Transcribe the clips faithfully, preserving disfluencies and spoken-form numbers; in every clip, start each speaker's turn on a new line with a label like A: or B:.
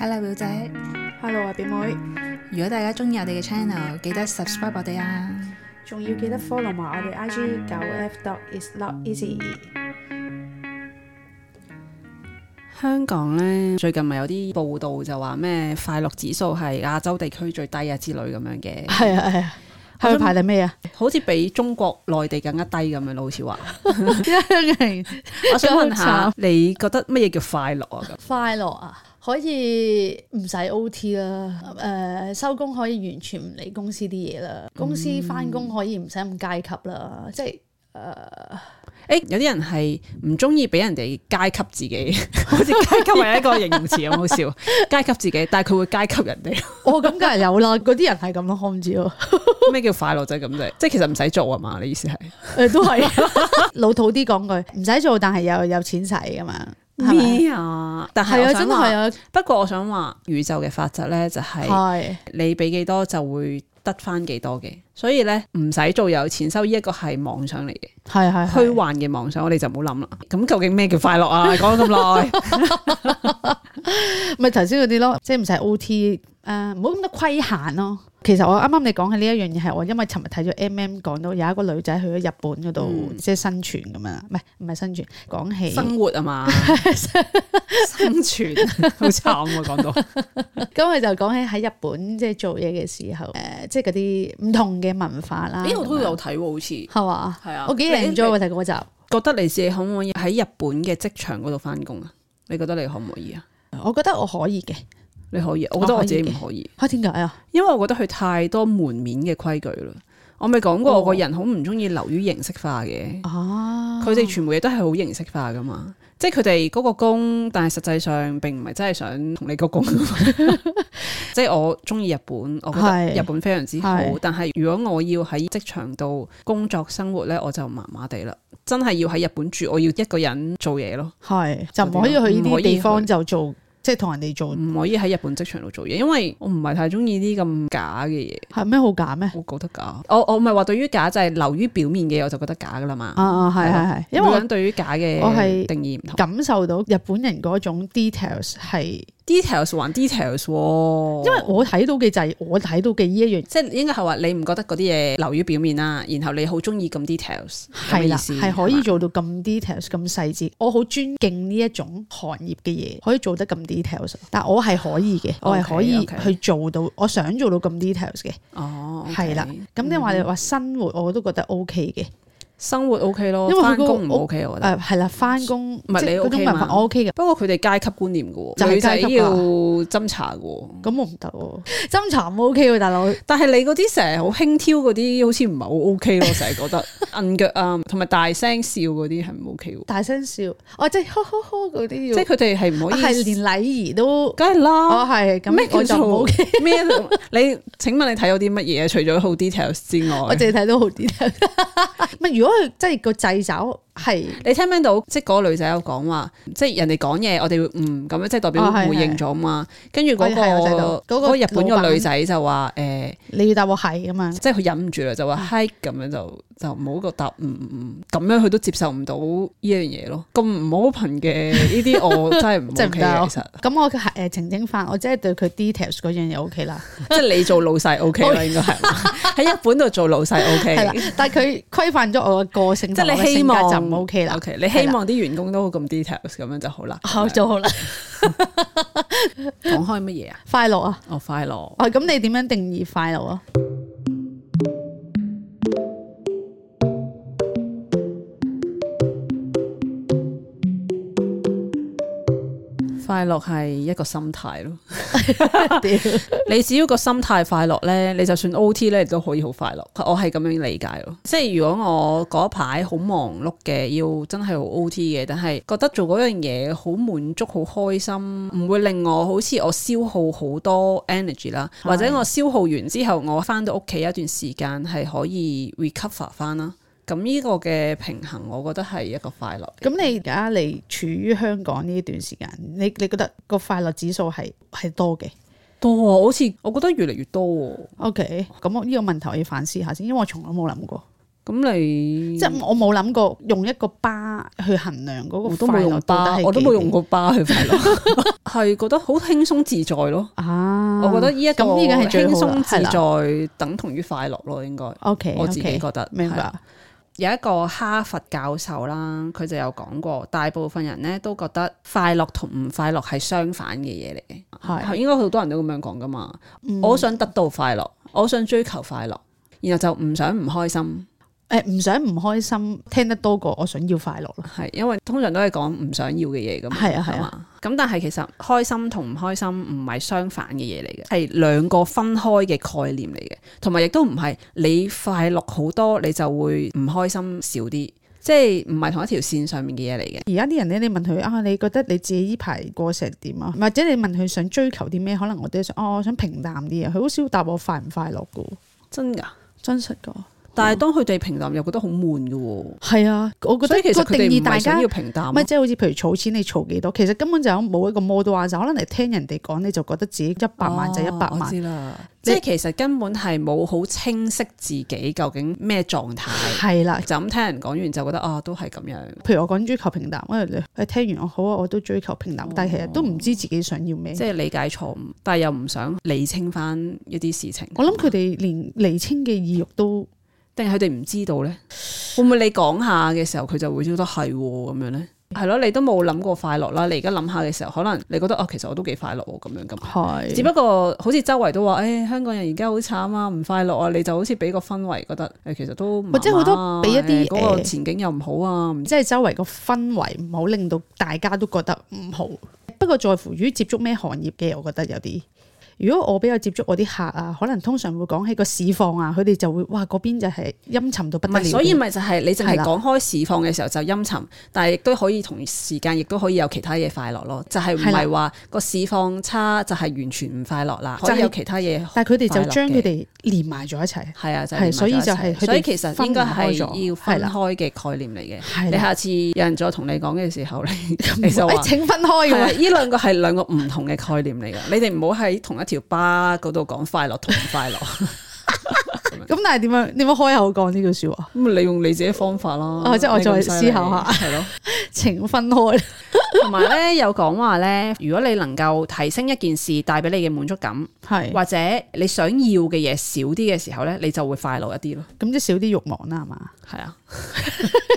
A: Hello 表姐
B: Hello 啊表妹，
A: 如果大家中意我哋嘅 channel， 記得 subscribe 我哋啊，
B: 仲要記得 follow 埋我哋 I G 九 F dot is not easy。
C: 香港呢，最近咪有啲報道就話咩快樂指數係亞洲地區最低啊之類咁樣嘅。
B: 係啊係啊，係排第咩啊？
C: 好似比中國內地更加低咁樣咯，好似話。
B: 真
C: 我想問下，你覺得乜嘢叫快樂啊？
B: 快樂啊，可以唔使 O T 啦，誒收工可以完全唔理公司啲嘢啦，公司翻工可以唔使咁階級啦，即係誒。呃
C: 誒有啲人係唔中意俾人哋階級自己，好似階級係一個形容詞咁好笑。階級自己，但係佢會階級人哋。
B: 哦，咁梗係有啦，嗰啲人係咁咯，我唔知喎。
C: 咩叫快樂就係咁啫？即係其實唔使做啊嘛？你意思係？
B: 誒都係老土啲講句，唔使做，但係又有錢使噶嘛。
C: 咩啊？但係我想話，
B: 係啊，
C: 不過我想話宇宙嘅法則咧，就係你俾幾多就會得翻幾多嘅，所以咧唔使做有錢收，呢一個係妄想嚟嘅，
B: 係係
C: 虛幻嘅妄想，我哋就唔好諗啦。咁究竟咩叫快樂啊？講咗咁耐，
B: 咪頭先嗰啲咯，即係唔使 O T， 誒唔好咁多規限咯。其實我啱啱你講嘅呢一樣嘢係我因為尋日睇咗 M M 講到有一個女仔去咗日本嗰度、嗯、即係生存咁樣，唔係唔係生存，講起
C: 生活啊嘛，生存好慘啊講到。
B: 咁佢就講起喺日本即係做嘢嘅時候，誒、呃、即係嗰啲唔同嘅文化啦。
C: 呢個都有睇喎，好似
B: 係嘛？係啊，
C: 吧
B: 我幾 enjoy 睇嗰集。
C: 覺得你自己可唔可以喺日本嘅職場嗰度翻工啊？你覺得你可唔可以啊？
B: 我覺得我可以嘅。
C: 你可以，我覺得我自己唔可以。
B: 嚇點解啊？
C: 因為我覺得佢太多門面嘅規矩啦。我咪講過，我個人好唔中意流於形式化嘅。哦，佢哋全部嘢都係好形式化噶嘛。即係佢哋嗰個工，但係實際上並唔係真係想同你個工。即係我中意日本，我覺得日本非常之好。但係如果我要喺職場度工作生活咧，我就麻麻地啦。真係要喺日本住，我要一個人做嘢咯。係就唔可以去呢啲地方就做。即係同人哋做，唔可以喺日本職場度做嘢，因為我唔係太中意啲咁假嘅嘢。係咩好假咩？我覺得假。我我唔係話對於假就係流於表面嘅，我就覺得假噶啦嘛。啊啊係係係，因為我對於假嘅我係定義唔同，感受到日本人嗰種 details 係 details 還 details，因為我睇到嘅就係我睇到嘅呢一樣，即係應該係話你唔覺得嗰啲嘢流於表面啦，然後你好中意咁 details， 係啦，係可以做到咁 details 咁細節，我好尊敬呢一種行業嘅嘢，可以做得咁 details， 但我係可以嘅，我係可以去做到， okay, okay. 我想做到咁 details 嘅。哦，係啦，咁你話你話生活我都覺得 OK 嘅。生活 OK 咯，因為翻工唔 OK 我覺得。誒係啦，翻工唔係你 OK 嘛？我 OK 嘅，不過佢哋階級觀念嘅喎，女仔要斟茶嘅喎，咁我唔得喎，斟茶唔 OK 喎，大佬。但係你嗰啲成日好輕佻嗰啲，好似唔係好 OK 咯，成日覺得摁腳啊，同埋大聲笑嗰啲係唔 OK 喎。大聲笑，哦即係呵呵呵嗰啲要，即係佢哋係唔可以，係連禮儀都，梗係啦。哦係，咁咩叫做唔 OK？咩？你請問你睇到啲乜嘢？除咗好 details 之外，我淨係睇到好 details。乜如果？即係個掣肘係，你聽唔聽到？即係嗰個女仔有講話，即係人哋講嘢，我哋會嗯咁樣，即係代表回應咗嘛。跟住嗰個嗰個日本個女仔就話誒，你要答我係啊嘛，即係佢忍唔住啦，就話係咁樣就就唔好個答嗯嗯咁樣，佢都接受唔到呢樣嘢咯。咁唔 open 嘅呢啲，我真係唔 OK 嘅。其實咁我誒澄清翻，我即係對佢 details 嗰樣嘢 OK 啦。即係你做老細 OK 啦，應該係喺日本度做老細 OK。係啦，但係佢規範咗我嘅個性，即係你希望就唔 OK 啦。OK， 你希望啲員工都好咁 details 咁樣就好啦。好就好啦。講開乜嘢啊？快樂啊！哦，快樂。哦，咁你點樣定義快樂啊？快樂係一個心態咯。你只要個心態快樂咧，你就算 O T 咧，你都可以好快樂。我係咁樣理解咯。即係如果我嗰一排好忙碌嘅，要真係好 O T 嘅，但係覺得做嗰樣嘢好滿足、好開心，唔會令我好似我消耗好多 energy 啦，或者我消耗完之後，我翻到屋企一段時間係可以 recover 翻啦。咁呢個嘅平衡，我覺得係一個快樂。咁你而家你處於香港呢段時間，你你覺得個快樂指數係係多嘅？多啊，好似我覺得越嚟越多喎。OK，咁我呢個問題我要反思下先，因為我從來冇諗過。咁你
B: 即係我冇諗過用一個巴去衡量嗰個快樂
C: 巴，我都冇用過巴去快樂，係覺得好輕鬆自在咯。啊，我覺得呢一個輕鬆自在等同於快樂咯，應該。OK， 我自己覺得
B: 明白。
C: 有一個哈佛教授啦，佢就有講過，大部分人咧都覺得快樂同唔快樂係相反嘅嘢嚟嘅，係應該好多人都咁樣講噶嘛。嗯、我想得到快樂，我想追求快樂，然後就唔想唔開心。
B: 誒，唔想唔開心，聽得多過我想要快樂咯。
C: 係因為通常都係講唔想要嘅嘢噶嘛。係啊係啊。咁但係其實開心同唔開心唔係相反嘅嘢嚟嘅，係兩個分開嘅概念嚟嘅，同埋亦都唔係你快樂好多你就會唔開心少啲，即係唔係同一條線上面嘅嘢嚟嘅。而家啲人咧，你問佢啊，你覺得你自己呢排過成點啊？或者你問佢想追求啲咩？可能我都想哦，我想平淡啲啊。佢好少答我快唔快樂噶。真噶？真實噶。但係當佢哋平淡又覺得好悶嘅喎。係啊，我覺得個定義大家要平淡，咪即係好似譬如儲錢你儲幾多，其實根本就冇一個 model 啊，就可能你聽人哋講你就覺得自己一百萬就一百萬。哦、我知啦，即係其實根本係冇好清晰自己究竟咩狀態。係啦，就咁聽人講完就覺得啊都係咁樣。譬如我講追求平淡，因為你聽完我好啊，我都追求平淡，哦、但係其實都唔知自己想要咩。即係理解錯誤，但係又唔想釐清翻一啲事情。我諗佢哋連釐清嘅意欲都。定係佢哋唔知道咧？會唔會你講下嘅時候佢就會覺得係咁樣咧？係咯，你都冇諗過快樂啦。你而家諗下嘅時候，可能你覺得哦，其實我都幾快樂咁樣咁。係是，只不過好似周圍都話，誒、哎，香港人而家好慘啊，唔快樂啊。你就好似俾個氛圍，覺得誒，其實都或者好多俾一啲嗰、呃、個前景又唔好啊，即係周圍個氛圍唔好，令到大家都覺得唔好。不過在乎於接觸咩行業嘅，我覺得有啲。如果我比較接觸我啲客啊，可能通常會講起個市況啊，佢哋就會哇嗰邊就係陰沉到不得了。所以咪就係你淨係講開市況嘅時候就陰沉，但係亦都可以同時間亦都可以有其他嘢快樂咯。就係唔係話個市況差就係完全唔快樂啦，可以有其他嘢。但係佢哋就將佢哋連埋咗一齊。係啊，就係所以就係所以其實應該係要分開嘅概念嚟嘅。你下次有人再同你講嘅時候，你你就話請分開嘅。呢兩個係兩個唔同嘅概念嚟㗎，你哋唔好喺同一條巴嗰度講快樂同唔快樂，咁但係點樣點樣開口講呢句說話？咁你用你自己方法啦。哦，即係我再思考下，係咯，請分開。同埋咧有講話咧，如果你能夠提升一件事帶俾你嘅滿足感，係是或者你想要嘅嘢少啲嘅時候咧，你就會快樂一啲咯。咁即係少啲慾望啦，係嘛？係啊，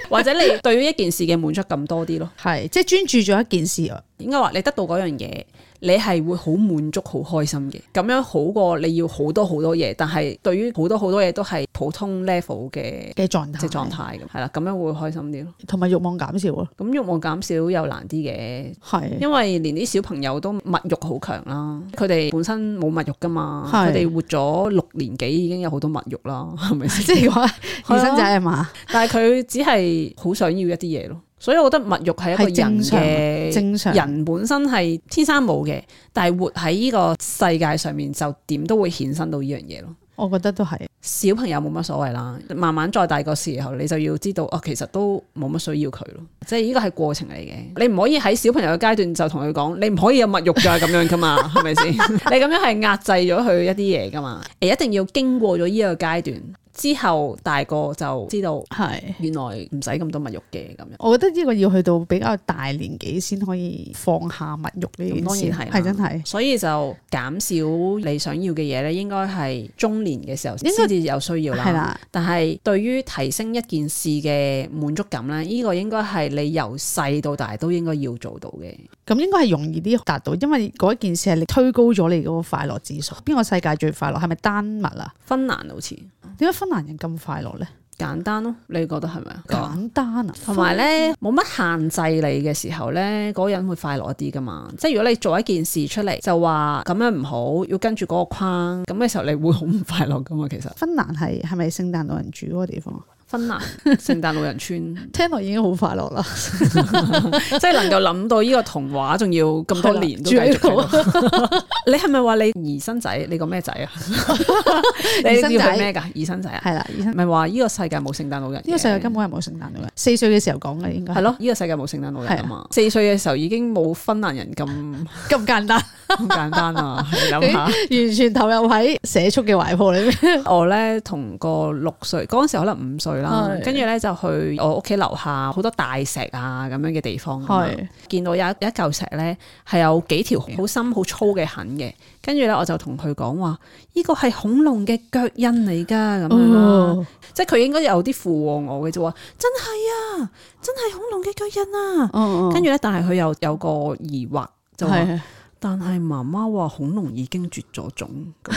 C: 或者你對於一件事嘅滿足感多啲咯。係，即係專注咗一件事啊。應該話你得到嗰樣嘢，你係會好滿足、好開心嘅。咁樣好過你要好多好多嘢，但係對於好多好多嘢都係普通 level 嘅嘅狀態，即係狀態咁。係啦，咁樣會開心啲咯。同埋慾望減少咯。咁慾望減少又難啲嘅，係的因為連啲小朋友都物慾好強啦。佢哋本身冇物慾噶嘛，佢哋的活咗六年幾已經有好多物慾啦，係咪先？即係話二生仔係嘛？但係佢只係好想要一啲嘢咯。所以我覺得物慾係一個人嘅正常，人本身係天生冇嘅，但係活喺呢個世界上面就點都會衍生到呢樣嘢咯。我覺得都係小朋友冇乜所謂啦，慢慢再大個時候你就要知道哦，其實都冇乜需要佢咯，即係呢個係過程嚟嘅。你唔可以喺小朋友嘅階段就同佢講，你唔可以有物慾㗎咁樣噶嘛，係咪先？你咁樣係壓制咗佢一啲嘢噶嘛，誒一定要經過咗呢個階段。之後大個就知道係原來唔使咁多物慾嘅咁樣。我覺得呢個要去到比較大年紀先可以放下物慾呢件事，當然係係真係。所以就減少你想要嘅嘢咧，應該係中年嘅時候先至有需要啦。係啦，但係對於提升一件事嘅滿足感咧，呢、這個應該係你由細到大都應該要做到嘅。咁應該係容易啲達到，因為嗰一件事係你推高咗你嗰個快樂指數。邊個世界最快樂？係咪丹麥啊？芬蘭好似。點解芬蘭人咁快樂咧？簡單咯，你覺得係咪啊？簡單啊，同埋咧冇乜限制你嘅時候咧，嗰個人會快樂一啲噶嘛。即係如果你做一件事出嚟就話咁樣唔好，要跟住嗰個框，咁嘅時候你會好唔快樂噶嘛。其實芬蘭係係咪聖誕老人住嗰個地方？芬蘭聖誕老人村聽落已經好快樂啦，即係能夠諗到呢個童話，仲要咁多年都繼續。你係咪話你兒生仔？你個咩仔啊？你要佢咩噶？兒生仔啊？係啦，兒生咪話呢個世界冇聖誕老人，呢個世界根本係冇聖誕老人。四歲嘅時候講嘅應該係咯，呢個世界冇聖誕老人啊嘛。四歲嘅時候已經冇芬蘭人咁咁簡單，咁簡單啊！你諗下，完全投入喺社畜嘅懷抱裏面。我咧同個六歲嗰陣時可能五歲。啦，跟住咧就去我屋企樓下好多大石啊咁樣嘅地方，見到有一有一嚿石咧係有幾條好深好粗嘅痕嘅，跟住咧我就同佢講話，呢個係恐龍嘅腳印嚟噶咁樣啦，哦、即係佢應該有啲附和我嘅，就話真係啊，真係恐龍嘅腳印啊，跟住咧但係佢又有個疑惑就話。但係媽媽話恐龍已經絕咗種，咁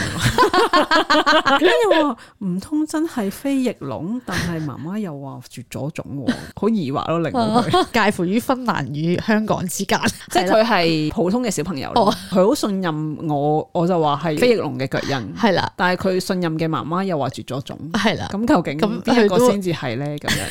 C: 跟住話唔通真係非翼龍？但係媽媽又話絕咗種，好疑惑咯，令到佢
B: 介乎於芬蘭與香港之間，
C: 即係佢係普通嘅小朋友咯，佢好、哦、信任我，我就話係非翼龍嘅腳印，係啦。但係佢信任嘅媽媽又話絕咗種，係啦。咁究竟邊一個先至係咧？咁樣。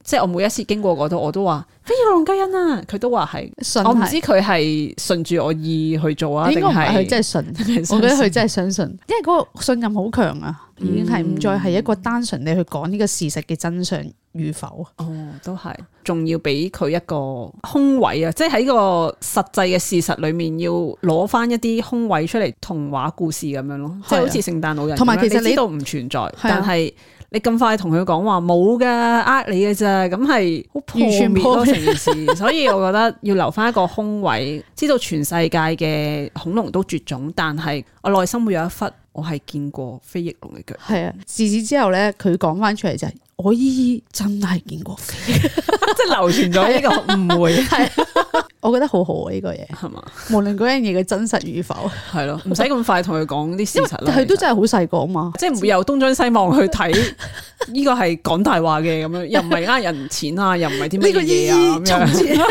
C: 即係我每一次經過嗰度，我都話非翼龍腳印啊！佢都話係，我唔知佢係順住我意去做啊，定係
B: 佢真係信？我覺得佢真係相信，因為嗰個信任好強啊，已經係唔再係一個單純你去講呢個事實嘅真相與否。
C: 哦，都係，仲要俾佢一個空位啊！即係喺個實際嘅事實裏面，要攞翻一啲空位出嚟，童話故事咁樣咯，即係好似聖誕老人，同埋其實你都唔存在，但係。你咁快同佢講話冇噶，呃你嘅啫，咁係好破滅咯成件事，所以我覺得要留翻一個空位，知道全世界嘅恐龍都絕種，但係我內心會有一忽，我係見過非翼龍嘅腳。係啊，
B: 自此之後咧，佢講翻出嚟就係、是、我姨姨真係見過飛，
C: 即係流傳咗呢個誤會。係，
B: 我覺得好好啊呢個嘢，係嘛？無論嗰樣嘢嘅真實與否，
C: 係咯，唔使咁快同佢講啲事實啦。
B: 佢都真係好細個啊嘛，
C: 即係唔會由東張西望去睇呢個係講大話嘅咁樣，又唔係呃人錢啊，又唔係啲乜嘢啊咁樣。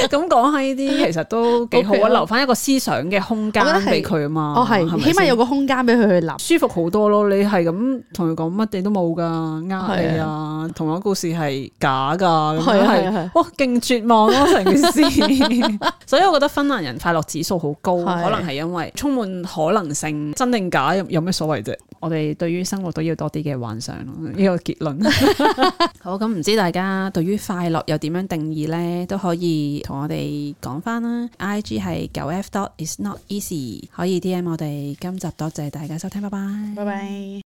C: 咁講下呢啲其實都幾好啊，留翻一個思想嘅空間俾佢啊嘛。
B: 哦係，起碼有個空間俾佢去諗，
C: 舒服好多咯。你係咁同佢講乜嘢都冇噶，呃你啊，童話故事係假噶，咁樣係哇，勁絕望咯成件事。所以我覺得芬蘭人快樂指數好高，可能係因為充滿可能性，真定假有咩所謂啫？我哋對於生活都要多啲嘅幻想咯，呢個結論。好，咁唔知大家對於快樂又點樣定義呢？都可以同我哋講翻啦。I G 係九 F dot is not easy，可以 D M 我哋。今集多謝大家收聽，拜拜，
B: 拜拜。